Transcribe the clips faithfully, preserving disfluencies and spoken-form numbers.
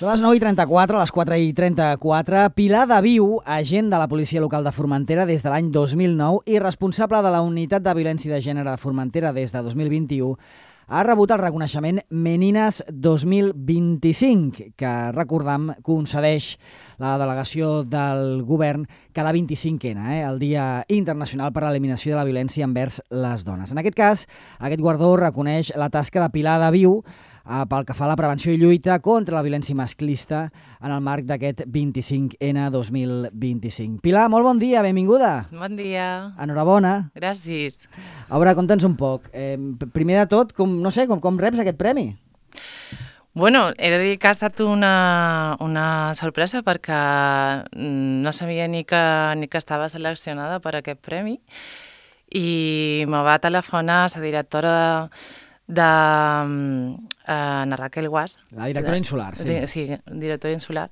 Són les nou i trenta-quatre, les quatre i trenta-quatre. Pilar de Viu, agent de la policia local de Formentera des de l'any dos mil nou i responsable de la unitat de violència de gènere de Formentera des de dos mil vint-i-u, ha rebut el reconeixement Menines dos mil vint-i-cinc, que, recordam, concedeix la delegació del govern cada vint-i-cinquena, eh, el Dia Internacional per a l'Eliminació de la Violència envers les Dones. En aquest cas, aquest guardó reconeix la tasca de Pilar de Viu eh, pel que fa a la prevenció i lluita contra la violència masclista en el marc d'aquest vint-i-cinc ena dos mil vint-i-cinc. Pilar, molt bon dia, benvinguda. Bon dia. Enhorabona. Gràcies. A veure, conta'ns un poc. Eh, primer de tot, com, no sé, com, com reps aquest premi? Bueno, he de dir que ha estat una, una sorpresa perquè no sabia ni que, ni que estava seleccionada per aquest premi i me va telefonar la directora de, de uh, Ana Raquel Guas. La directora de, insular, sí. De, sí, directora insular.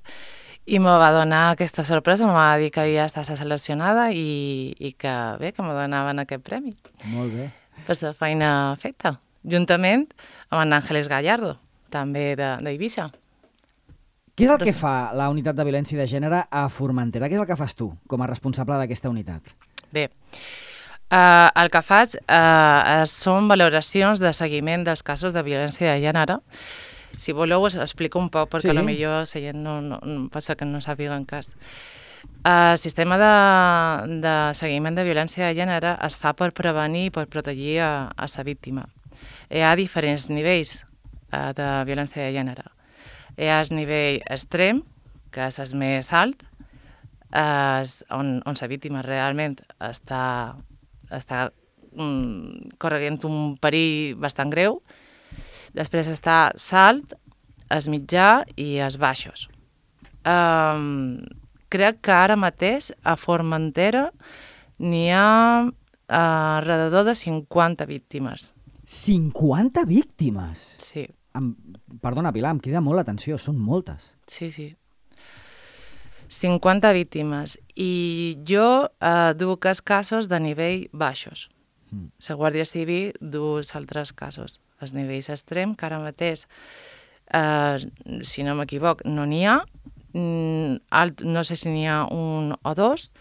I me va donar aquesta sorpresa, me va dir que havia estat seleccionada i, i que bé, que me donaven aquest premi. Molt bé. Per la feina feta, juntament amb en Ángeles Gallardo, també d'Eivissa. Què és el Però... que fa la unitat de violència de gènere a Formentera? Què és el que fas tu com a responsable d'aquesta unitat? Bé, eh, el que faig eh, són valoracions de seguiment dels casos de violència de gènere. Si voleu us explico un poc, perquè sí. Potser la gent no, no, no, pot ser que no sàpiga en cas. El sistema de, de seguiment de violència de gènere es fa per prevenir i per protegir a, a la víctima. Hi ha diferents nivells eh, de violència de gènere. Hi ha el nivell extrem, que és el més alt, és on, on la víctima realment està, està mm, corregint un perill bastant greu. Després està l'alt, el mitjà i els baixos. Um, crec que ara mateix a Formentera n'hi ha uh, alrededor de cinquanta víctimes. cinquanta víctimes? Sí. Em, perdona, Pilar, em crida molt l'atenció, són moltes. Sí, sí. cinquanta víctimes. I jo uh, duc els casos de nivell baixos. Mm. La Guàrdia Civil du els altres casos. Els nivells extrems, que ara mateix, eh, si no m'equivoc, no n'hi ha. Alt, no sé si n'hi ha un o dos.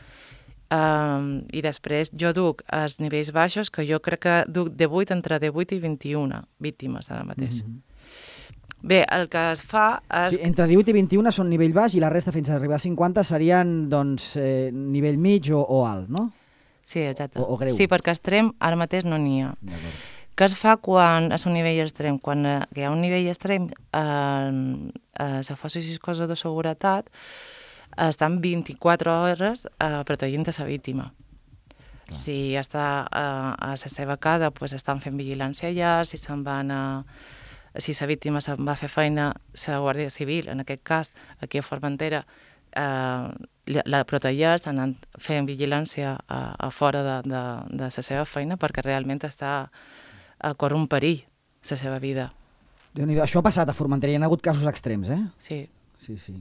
Eh, I després jo duc els nivells baixos, que jo crec que duc de vuit, entre divuit i vint-i-una víctimes ara mateix. Mm-hmm. Bé, el que es fa és... Sí, entre divuit i vint-i-una són nivell baix i la resta fins a arribar a cinquanta serien doncs, eh, nivell mig o, o alt, no? Sí, exacte. O, o greu. Sí, perquè extrem ara mateix no n'hi ha. D'acord. Què es fa quan és un nivell extrem? Quan eh, hi ha un nivell extrem, eh, eh, les forces i coses de seguretat estan vint-i-quatre hores eh, protegint a la víctima. Clar. Si està eh, a la seva casa, pues, estan fent vigilància allà, si se'n van a... Si la víctima se'n va a fer feina, la Guàrdia Civil, en aquest cas, aquí a Formentera, eh, la protegeix, anant fent vigilància a, a fora de, de, de la seva feina, perquè realment està... a córrer un perill, la seva vida. Déu-n'hi-do, això ha passat a Formentera, hi ha hagut casos extrems, eh? Sí. Sí, sí.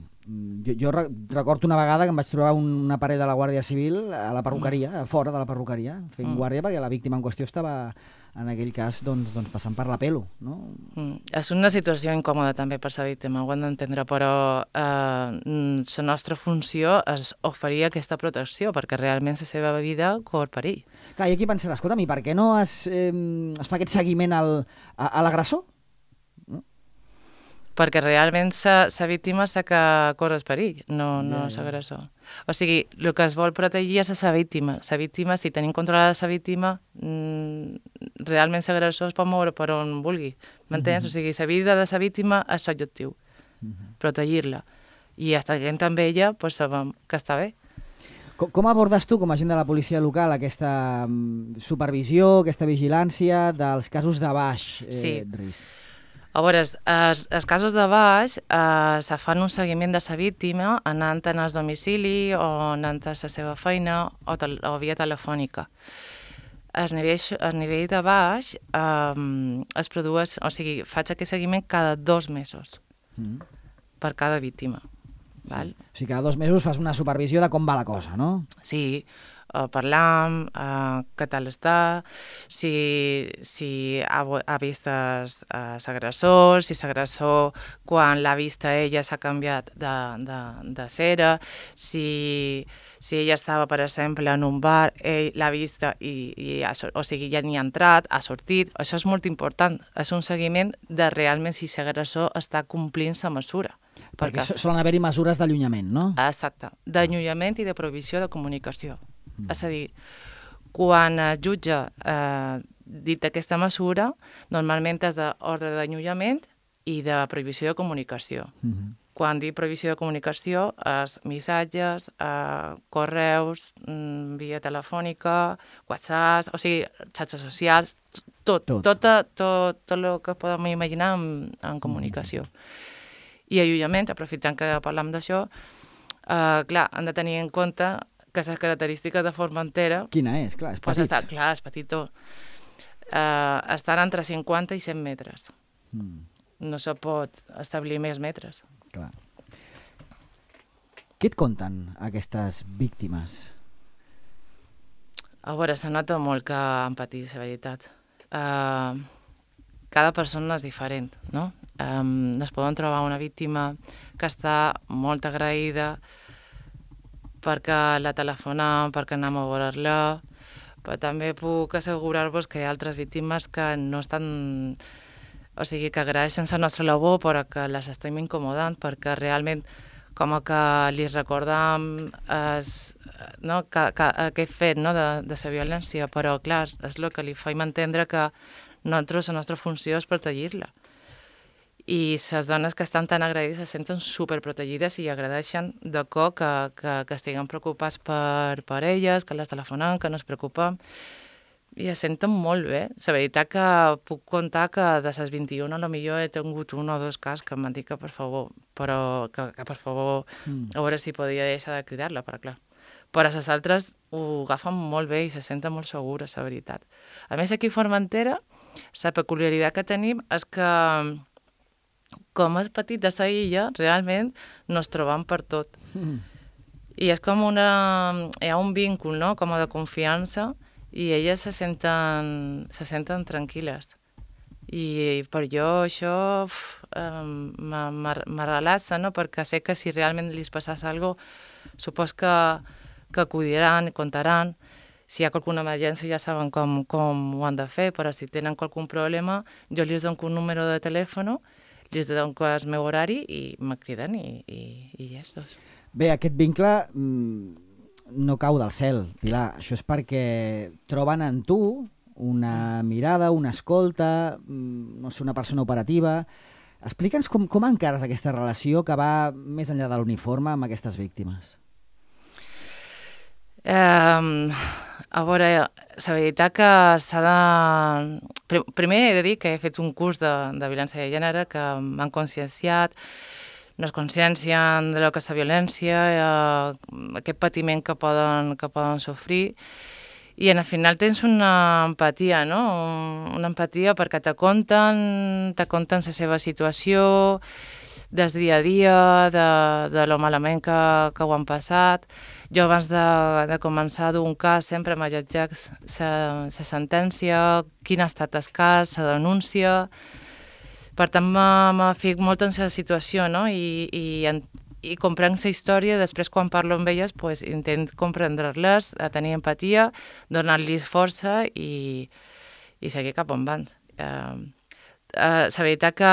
Jo, jo recordo una vegada que em vaig trobar una paret de la Guàrdia Civil a la perruqueria, mm. a fora de la perruqueria, fent mm. guàrdia, perquè la víctima en qüestió estava, en aquell cas, doncs, doncs passant per la pelo, no? Mm. És una situació incòmoda també per la víctima, ho hem d'entendre, però eh, la nostra funció és oferir aquesta protecció, perquè realment la seva vida corre perill. Clar, i aquí pensarà, escolta'm, i per què no es, eh, es fa aquest seguiment al, a, a l'agressor? No? Perquè realment la víctima sé que corre el perill, no, no és l'agressor. O sigui, el que es vol protegir és la víctima. La víctima, si tenim controlada la víctima, mmm, realment l'agressor es pot moure per on vulgui. M'entens? Mm-hmm. O sigui, la vida de la víctima és l'objectiu, mm-hmm. protegir-la. I estant amb ella, pues, sabem que està bé. Com, com abordes tu, com a agent de la policia local, aquesta um, supervisió, aquesta vigilància dels casos de baix eh, sí. risc? A veure, els, els casos de baix eh, se fan un seguiment de la víctima anant en el domicili o anant a la seva feina o, tel o via telefònica. El nivell, el nivell de baix eh, es produeix, o sigui, faig aquest seguiment cada dos mesos mm. per cada víctima. Sí. Val? O sigui, cada dos mesos fas una supervisió de com va la cosa, no? Sí. uh, parlam, uh, què tal està, si, si ha, ha vist l'agressor, si l'agressor quan l'ha vista ella s'ha canviat de, de, de cera, si, si ella estava, per exemple, en un bar, ell l'ha vista i, i ha, o sigui, ja n'hi ha entrat, ha sortit. Això és molt important, és un seguiment de realment si l'agressor està complint la mesura. Perquè, perquè solen haver-hi mesures d'allunyament, no? Exacte, d'allunyament i de prohibició de comunicació. Mm. És a dir, quan es jutja eh, dit aquesta mesura, normalment és d'ordre d'allunyament i de prohibició de comunicació. Mm -hmm. Quan dic prohibició de comunicació és missatges, eh, correus, mm, via telefònica, WhatsApp, o sigui, xarxes socials, tot, tot, tot, tot, tot el que podem imaginar en, en comunicació. Mm. I allunyament, aprofitant que parlam d'això, eh, clar, han de tenir en compte que la característica de Formentera... Quina és? Clar, és petit. Pues està, clar, és petitó. Eh, estan entre cinquanta i cent metres. Mm. No se pot establir més metres. Clar. Què et conten aquestes víctimes? A veure, se nota molt que han patit, la veritat. Eh, cada persona és diferent, no? Um, es poden trobar una víctima que està molt agraïda perquè la telefona, perquè anem a veure-la, però també puc assegurar-vos que hi ha altres víctimes que no estan... O sigui, que agraeixen la nostra labor però que les estem incomodant perquè realment com que li recordam es, no, que, que, aquest fet, no, de, de la violència, però clar, és el que li faim entendre que nosaltres, la nostra funció és protegir-la. I les dones que estan tan agraïdes se senten superprotegides i agradeixen de cor que, que, que estiguen preocupats per, per elles, que les telefonen, que no es preocupen, i es senten molt bé. La veritat que puc contar que de les vint-i-una potser he tingut un o dos cas que m'han dit que per favor, però que, que per favor, mm. a veure si podia deixar de cridar-la, però clar. Però les altres ho agafen molt bé i se senten molt segures, la veritat. A més, aquí a Formentera, la peculiaritat que tenim és que com és petit de la illa, realment nos trobam per tot. Mm. I és com una... hi ha un vincul, no?, com de confiança, i elles se senten, se senten tranquil·les. I per jo això me relaxa, no?, perquè sé que si realment li passés alguna cosa, supos que, que acudiran, contaran. Si hi ha alguna emergència ja saben com, com ho han de fer, però si tenen algun problema, jo li dono un número de telèfon, li dono el meu horari i me criden i, i, i ja és. Bé, aquest vincle mmm, no cau del cel, Pilar. Això és perquè troben en tu una mirada, una escolta, no sé, una persona operativa. Explica'ns com, com encares aquesta relació que va més enllà de l'uniforme amb aquestes víctimes. Um, a veure, la veritat que s'ha de... Primer he de dir que he fet un curs de, de violència de gènere que m'han conscienciat, no es consciencien de lo que és la violència, eh, aquest patiment que poden, que poden sofrir, i al final tens una empatia, no? Una empatia perquè te conten, te conten la seva situació, del dia a dia, de, de lo malament que, que ho han passat. Jo abans de, de començar d'un cas sempre m'allotjac la sentència, quin ha estat el cas, la denúncia. Per tant, me fico molt en la situació, no? I, i, i comprenc la història, després quan parlo amb elles pues, intent comprendre-les, tenir empatia, donar-los força i, i seguir cap on van. Eh, eh, la veritat que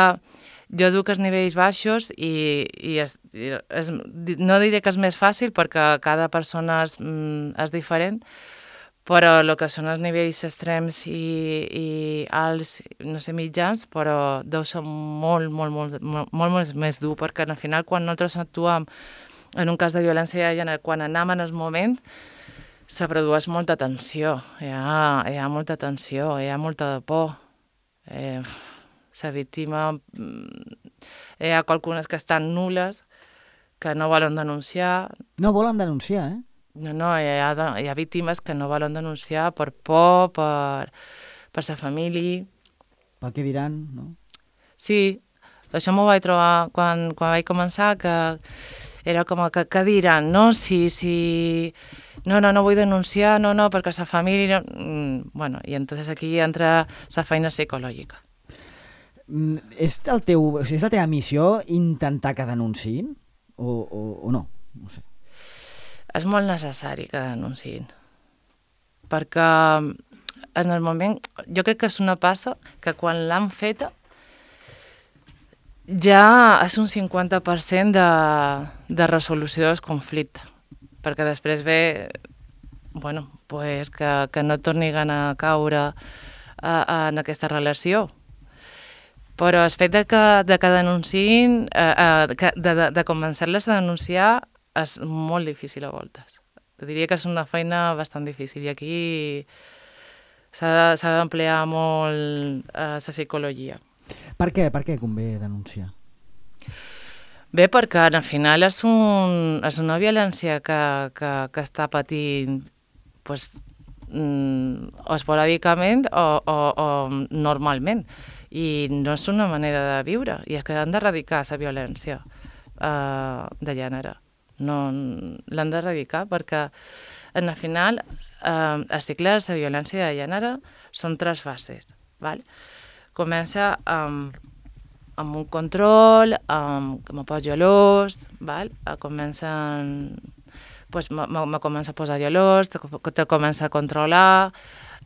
jo duc els nivells baixos i, i, és, i és, no diré que és més fàcil perquè cada persona és, és diferent, però el que són els nivells extrems i, i alts, no sé, mitjans, però deu ser molt, molt, molt, molt, molt, molt més dur, perquè al final quan nosaltres actuem en un cas de violència de gènere, quan anem en el moment, se produeix molta tensió, hi ha, hi ha molta tensió, hi ha molta por. Eh, la víctima, hi ha algunes que estan nules, que no volen denunciar. No volen denunciar, eh? No, no, hi ha, hi ha víctimes que no volen denunciar per por, per, per sa família. Pel que diran, no? Sí, això m'ho vaig trobar quan, quan vaig començar, que era com que, que diran, no? Si, si... No, no, no vull denunciar, no, no, perquè la família... Mm, bueno, i entonces aquí entra la feina psicològica. Mm, és, el teu, o sigui, és la teva missió intentar que denunciïn? O, o, o no? No sé. És molt necessari que denunciïn. Perquè en el moment... Jo crec que és una passa que quan l'han feta ja és un cinquanta per cent de, de resolució del conflicte. Perquè després ve, bueno, pues que, que no tornin a caure a, a, en aquesta relació. Però el fet de que, de que denunciïn, eh, de, de, de convencer-les a denunciar és molt difícil a voltes. Diria que és una feina bastant difícil i aquí s'ha d'emplear molt eh, la psicologia. Per què? Per què convé denunciar? Bé, perquè al final és, un, és una violència que, que, que està patint pues, mm, esporàdicament o, o, o normalment. I no és una manera de viure, i és que han d'erradicar la violència eh, de gènere. No, l'han d'erradicar perquè, en el final, eh, el cicle de la violència de gènere són tres fases. Val? Comença amb, amb un control, amb, que me poso gelós, val? Comencen, pues, me, me comença a posar gelós, te, te comença a controlar,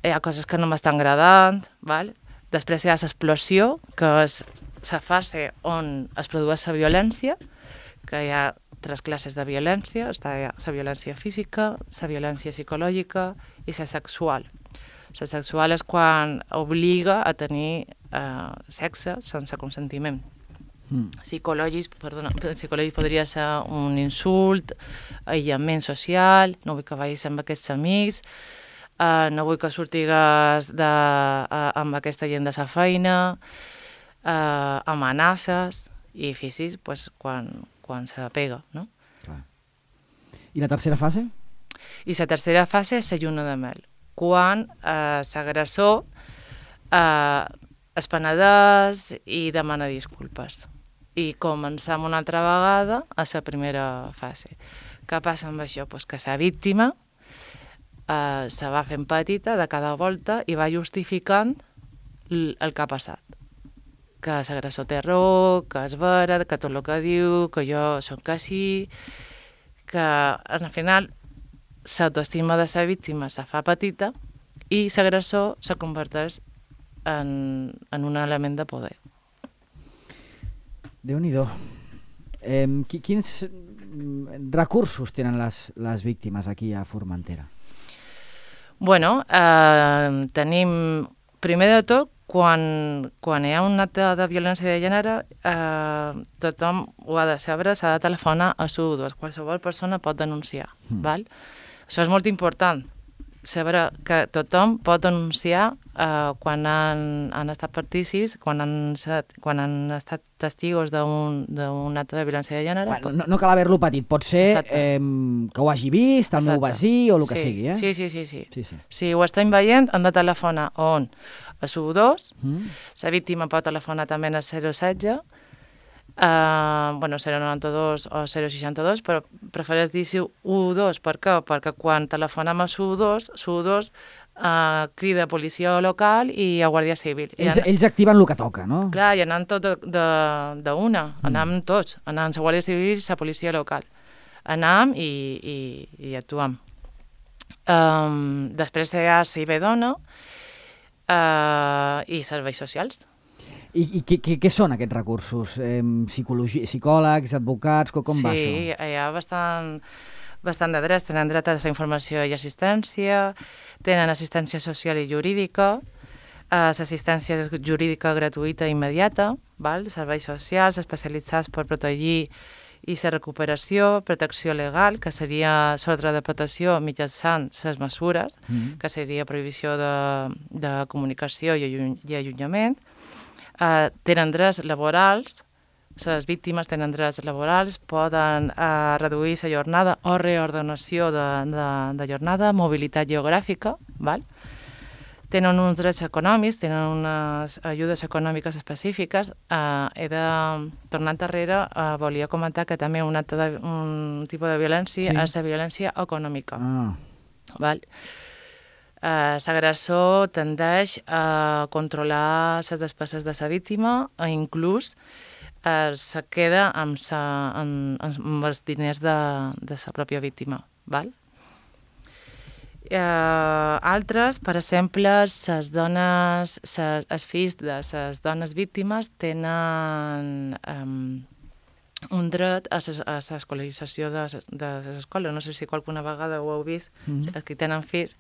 hi ha coses que no m'estan agradant, val? Després hi ha l'explosió, que és la fase on es produeix la violència, que hi ha tres classes de violència, està la violència física, la violència psicològica i la sexual. La sexual és quan obliga a tenir eh, sexe sense consentiment. Mm. Psicològic, perdona, psicològic podria ser un insult, aïllament social, no vull que vagis amb aquests amics, eh, no vull que sortigues de, eh, amb aquesta gent de la feina, eh, amenaces i físics, pues, quan, quan se pega, no? Clar. I la tercera fase? I la tercera fase és la lluna de mel, quan eh, l'agressor eh, es penedeix i demana disculpes. I començam una altra vegada a la primera fase. Què passa amb això? Pues que la víctima eh, se va fent petita de cada volta i va justificant el que ha passat. Que l'agressor té raó, que és vera, que tot el que diu, que jo soc així, que al final l'autoestima de la víctima se fa petita i l'agressor se converteix en, en un element de poder. Déu-n'hi-do. Eh, quins recursos tenen les, les víctimes aquí a Formentera? Bueno, eh, tenim, primer de tot, quan, quan hi ha un acte de violència de gènere, eh, tothom ho ha de saber, s'ha de telefonar a cent dos. Qualsevol persona pot denunciar. Mm. Val? Això és molt important, saber que tothom pot denunciar eh, quan han, han estat partícips, quan han, set, quan han estat testigos d'un acte de violència de gènere. Bueno, no, no cal haver-lo petit, pot ser eh, que ho hagi vist, el Exacte. meu vecí o el que sí. sigui. Eh? Sí, sí, sí, sí. sí, sí. Si ho estem veient, han de telefonar on? A cent dos, mm. la víctima pot telefonar també a zero setze, Uh, bueno, zero noranta-dos o zero seixanta-dos, però prefereix dir cent dos. Per què? Perquè quan telefonem a cent dos, cent dos uh, crida a policia local i a Guàrdia Civil. Ells, I an... ells activen el que toca, no? Clar, i anant tot d'una, mm. anam tots, anam a la Guàrdia Civil i a la policia local. Anam i, i, i actuam. Um, després hi ha C I B Dona uh, i serveis socials. I, i què, què, què són aquests recursos? Eh, psicologia, psicòlegs, advocats, com, com sí, va això? Sí, hi ha bastant, bastant de drets. Tenen dret a la informació i assistència, tenen assistència social i jurídica, eh, l'assistència jurídica gratuïta i immediata, val? Serveis socials especialitzats per protegir i la recuperació, protecció legal, que seria l'ordre de protecció mitjançant les mesures, mm-hmm. que seria prohibició de, de comunicació i, alluny, i allunyament. Uh, tenen drets laborals, les víctimes tenen drets laborals, poden uh, reduir la jornada o reordenació de, de, de jornada, mobilitat geogràfica, val? tenen uns drets econòmics, tenen unes ajudes econòmiques específiques. Uh, he de, tornant enrere, uh, volia comentar que també un, altre de, un tipus de violència sí. és la violència econòmica. Ah. Val? Uh, l'agressor tendeix a controlar les despeses de la víctima o inclús uh, se queda amb, sa, amb, amb els diners de, de la pròpia víctima. Val? Uh, altres, per exemple, les dones, ses, els fills de les dones víctimes tenen um, un dret a l'escolarització de, de les escoles. No sé si qualcuna vegada ho heu vist, mm-hmm. els que tenen fills,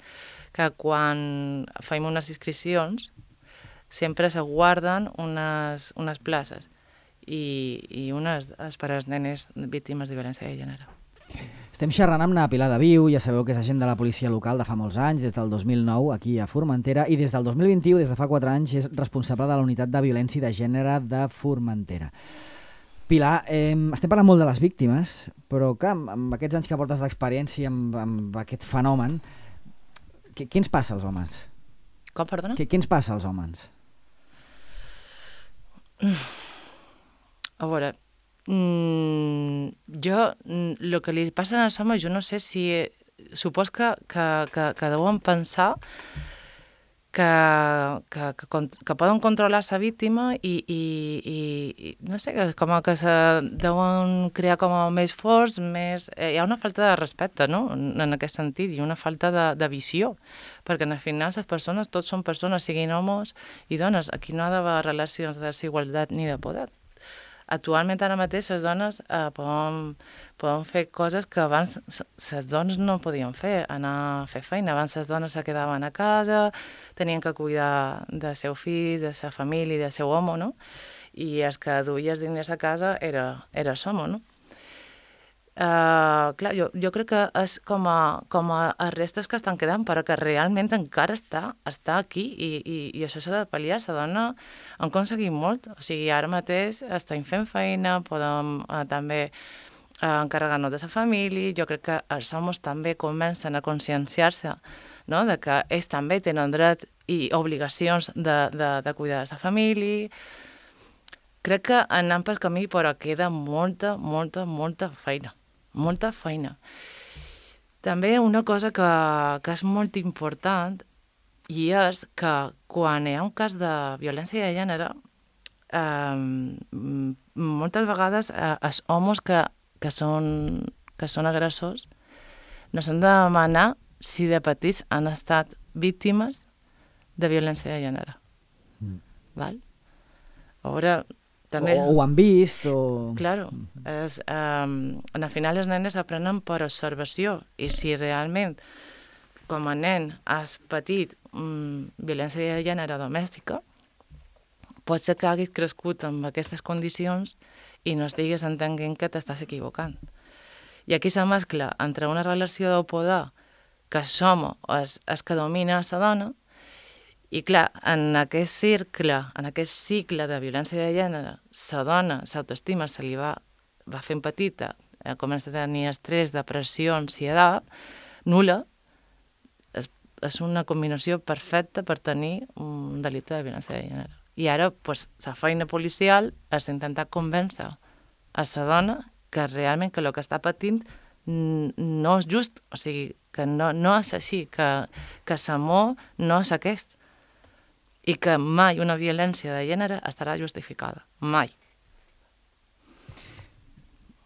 que quan fem unes inscripcions sempre se guarden unes, unes places i, i unes és per als nenes víctimes de violència de gènere. Estem xerrant amb na Pilar Daviu, ja sabeu que és agent de la policia local de fa molts anys, des del dos mil nou, aquí a Formentera, i des del dos mil vint-i-u, des de fa quatre anys, és responsable de la unitat de violència de gènere de Formentera. Pilar, eh, estem parlant molt de les víctimes, però que amb, amb aquests anys que portes d'experiència amb, amb aquest fenomen, què, què ens passa als homes? Com, perdona? Què, què ens passa als homes? A veure... Mm, jo, el que li passa als homes, jo no sé si... Supos que, que, que, que deuen pensar que, que, que, que poden controlar la víctima i, i, i, i no sé, com que se deuen crear com a més forts, més... Eh, hi ha una falta de respecte, no?, en, en aquest sentit, i una falta de, de visió, perquè al final les persones, tots són persones, siguin homes i dones, aquí no ha d'haver relacions de desigualtat ni de poder. Actualment, ara mateix, les dones eh, poden, poden fer coses que abans les dones no podien fer, anar a fer feina. Abans les dones se quedaven a casa, tenien que cuidar del seu fill, de la seva família, del seu home, no? I els que duia els diners a casa era, era l'home, no? Uh, clar, jo, jo crec que és com a, com a restes que estan quedant, però que realment encara està, està aquí i, i, i això s'ha de pal·liar. La dona ha aconseguit molt, o sigui, ara mateix estem fent feina, podem uh, també uh, encarregar-nos de la família. Jo crec que els homes també comencen a conscienciar-se, no?, de que ells també tenen dret i obligacions de, de, de cuidar de la família. Crec que anem pel camí, però queda molta, molta, molta feina. Molta feina. També una cosa que, que és molt important i és que quan hi ha un cas de violència de gènere, eh, moltes vegades eh, els homes que, que, són, que són agressors no s'han de demanar si de petits han estat víctimes de violència de gènere. Mm. Val? Ara... També... O ho han vist, o... Claro, és, um, al final les nenes aprenen per observació i si realment com a nen has patit um, violència de gènere domèstica, pot ser que haguis crescut amb aquestes condicions i no estigues entenent que t'estàs equivocant. I aquí se mescla entre una relació de poder que som és, és que domina la dona. I clar, en aquest cercle, en aquest cicle de violència de gènere, la dona, l'autoestima se li va, va fent petita, eh, comença a tenir estrès, depressió, ansietat, nul·la, és, és una combinació perfecta per tenir un delicte de violència de gènere. I ara, pues, la feina policial és intentar convèncer a la dona que realment que el que està patint no és just, o sigui, que no, no és així, que, que l'amor no és aquest, i que mai una violència de gènere estarà justificada. Mai.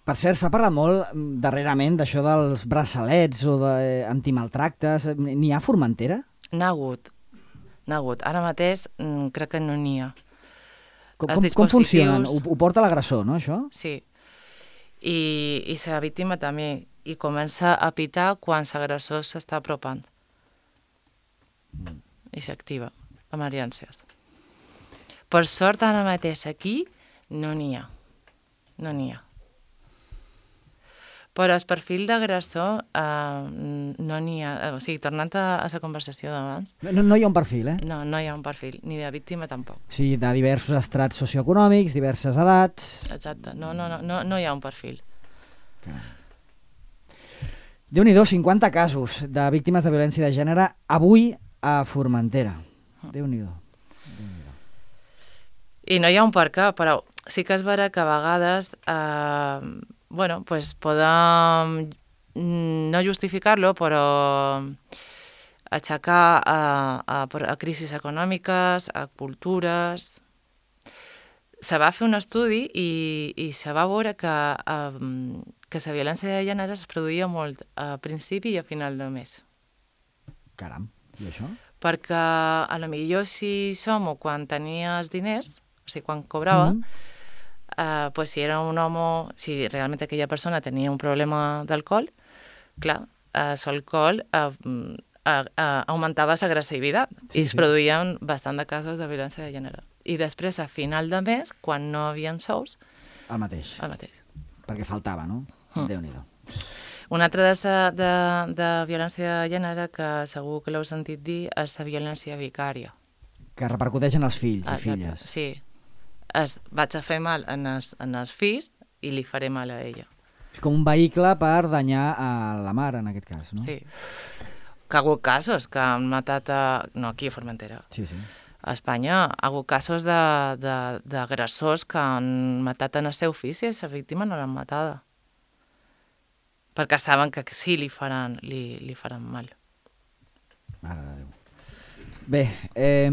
Per cert, s'ha parlat molt darrerament d'això dels braçalets o d'antimaltractes. N'hi ha a Formentera? N'ha hagut. N'ha hagut. Ara mateix crec que no n'hi ha. Com, com, com funcionen? Ho, ho porta l'agressor, no, això? Sí. I, i la víctima també. I comença a pitar quan l'agressor s'està apropant. Mm. I s'activa. Emergències. Per sort, ara mateix aquí no n'hi ha. No n'hi ha. Però el perfil d'agressor eh, no n'hi ha. O sigui, tornant a, a la conversació d'abans... No, no hi ha un perfil, eh? No, no hi ha un perfil, ni de víctima tampoc. Sí, de diversos estrats socioeconòmics, diverses edats... Exacte, no, no, no, no, no hi ha un perfil. Déu-n'hi-do, cinquanta casos de víctimes de violència de gènere avui a Formentera. Déu-n'hi-do. Déu-n'hi-do. I no hi ha un per què, però sí que és vera que a vegades eh, bueno, pues podem no justificar-lo, però aixecar a, a, a crisis econòmiques, a cultures. Se va fer un estudi i, i se va veure que, um, que la violència de gènere es produïa molt a principi i a final de mes. Caram, i això? Perquè a lo millor si som quan tenies diners, o sigui, quan cobrava, mm -hmm. Uh, pues si era un home, si realment aquella persona tenia un problema d'alcohol, clar, uh, l'alcohol uh, uh, uh, augmentava l'agressivitat sí, i es sí. produïen bastant de casos de violència de gènere. I després, a final de mes, quan no havien sous... El mateix. El mateix. Perquè faltava, no? Mm. Déu-n'hi-do. Una altra de, de, de violència de gènere que segur que l'heu sentit dir és la violència vicària. Que repercuteix en els fills i Exacte, filles. Sí. Es, vaig a fer mal en els, en els fills i li faré mal a ella. És com un vehicle per danyar a la mare, en aquest cas, no? Sí. Que ha hagut casos que han matat a... No, aquí a Formentera. Sí, sí. A Espanya ha hagut casos d'agressors que han matat en el seu fill i la víctima no l'han matada. Perquè saben que sí li faran, li, li faran mal. Mare de Déu. Bé, eh,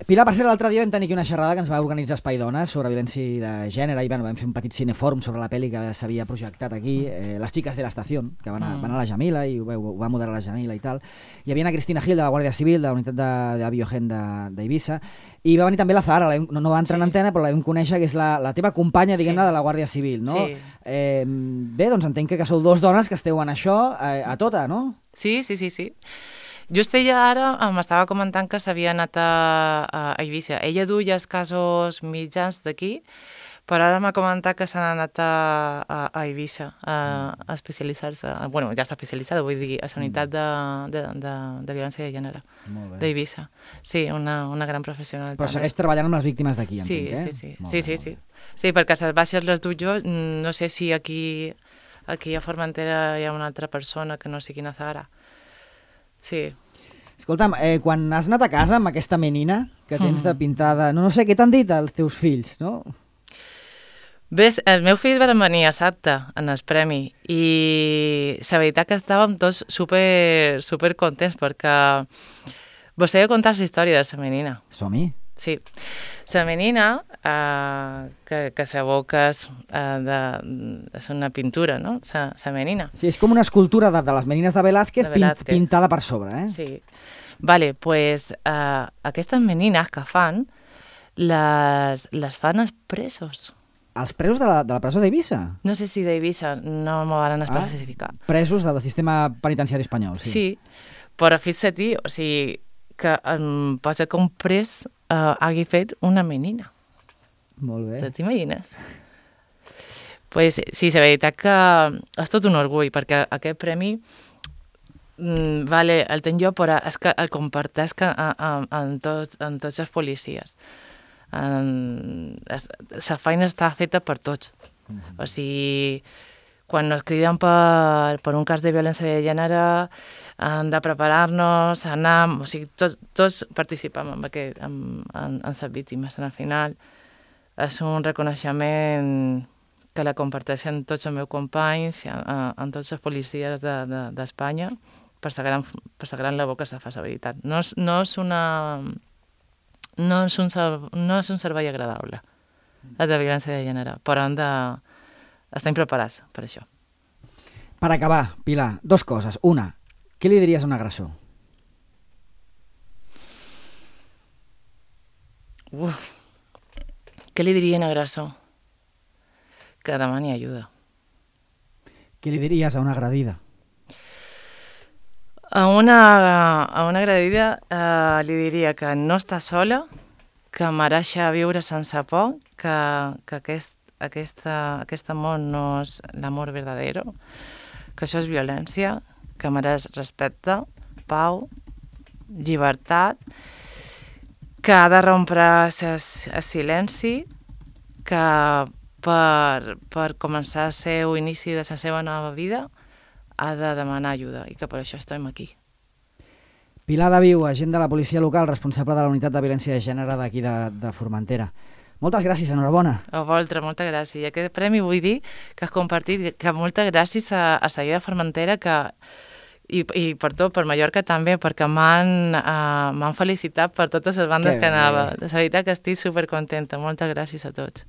Pilar, per ser l'altre dia vam tenir aquí una xerrada que ens va organitzar Espai Dones sobre violència de gènere i bueno, vam fer un petit cinefòrum sobre la pel·li que s'havia projectat aquí, eh, Les xiques de l'estació, que van a, mm. van a la Jamila i ho, ho va moderar la Jamila i tal. Hi havia una Cristina Gil de la Guàrdia Civil, de la unitat de, de Biogen d'Eivissa, i va venir també la Zahara, la, no, no va entrar sí. en antena, però la vam conèixer, que és la, la teva companya, diguem-ne, sí. de la Guàrdia Civil, no? Sí. Eh, bé, doncs entenc que, que sou dos dones que esteu en això eh, a tota, no? Sí, sí, sí, sí. Just ella ara m'estava comentant que s'havia anat a, a Eivissa. Ella duia els casos mitjans d'aquí, però ara m'ha comentat que s'han anat a, a, a Eivissa a, a especialitzar-se. Bueno, ja està especialitzada, vull dir, a la unitat de, de, de, de violència de gènere d'Eivissa. Sí, una, una gran professional. Però també. Segueix treballant amb les víctimes d'aquí, sí, entenc, eh? Sí, sí, sí, sí, sí. Sí, perquè les baixes les duc jo, no sé si aquí, aquí a Formentera hi ha una altra persona que no sigui na Zahara. Sí. Escolta'm, eh, quan has anat a casa amb aquesta menina que tens de pintada... No, no sé, què t'han dit els teus fills, no? Bé, els meus fills van venir a Sabta en el premi i la veritat que estàvem tots super, super contents perquè vos he de contar la història de la menina. Som-hi? Sí. La menina, eh, que, que sabeu que és, eh, de, és una pintura, no? La, la menina. Sí, és com una escultura de, de les menines de Velázquez, de Velázquez. Pint, pintada per sobre, eh? Sí. Vale, pues eh, aquestes menines que fan, les, les fan els presos. Els presos de la, de la presó d'Eivissa? No sé si d'Eivissa, no m'ho van especificar. Ah, presos del sistema penitenciari espanyol, sí. Sí, però fixa't, o sigui, que em posa que un pres uh, hagi fet una menina. Molt bé. Te t'imagines? Pues sí, la veritat que és tot un orgull, perquè aquest premi mm, vale, el tenc jo, però és que el comparteix amb tots, amb tots els policies. La feina està feta per tots. Mm-hmm. O sigui, quan ens criden per, per un cas de violència de gènere, hem de preparar-nos, anar... O sigui, tots, tots participem en, aquest, en, en, en les víctimes. Al final, és un reconeixement que la comparteixen tots els meus companys, amb tots els policies d'Espanya, de, de, per la gran, per la gran labor que se fa, la veritat. No és, no és una... No és, un, no és un servei agradable, el de violència de gènere, però hem de... estem preparats per això. Per acabar, Pilar, dos coses. Una, què li diries a un agressor? Uf. Què li diria a un agressor? Que demani ajuda. Què li diries a una agredida? A una, a una agredida eh, li diria que no està sola, que mereix viure sense por, que, que aquest, aquesta, aquest amor no és l'amor verdadero, que això és violència, que mereix respecte, pau, llibertat, que ha de rompre el silenci, que per, per començar el seu inici de la seva nova vida ha de demanar ajuda i que per això estem aquí. Pilar de Viu, agent de la policia local, responsable de la unitat de violència de gènere d'aquí de, de Formentera. Moltes gràcies, enhorabona. A vosaltres, moltes gràcies. I aquest premi vull dir que has compartit, que moltes gràcies a, a Seguida Formentera, que I, i per tot, per Mallorca també, perquè m'han uh, felicitat per totes les bandes que, que anava. De veritat que estic supercontenta. Moltes gràcies a tots.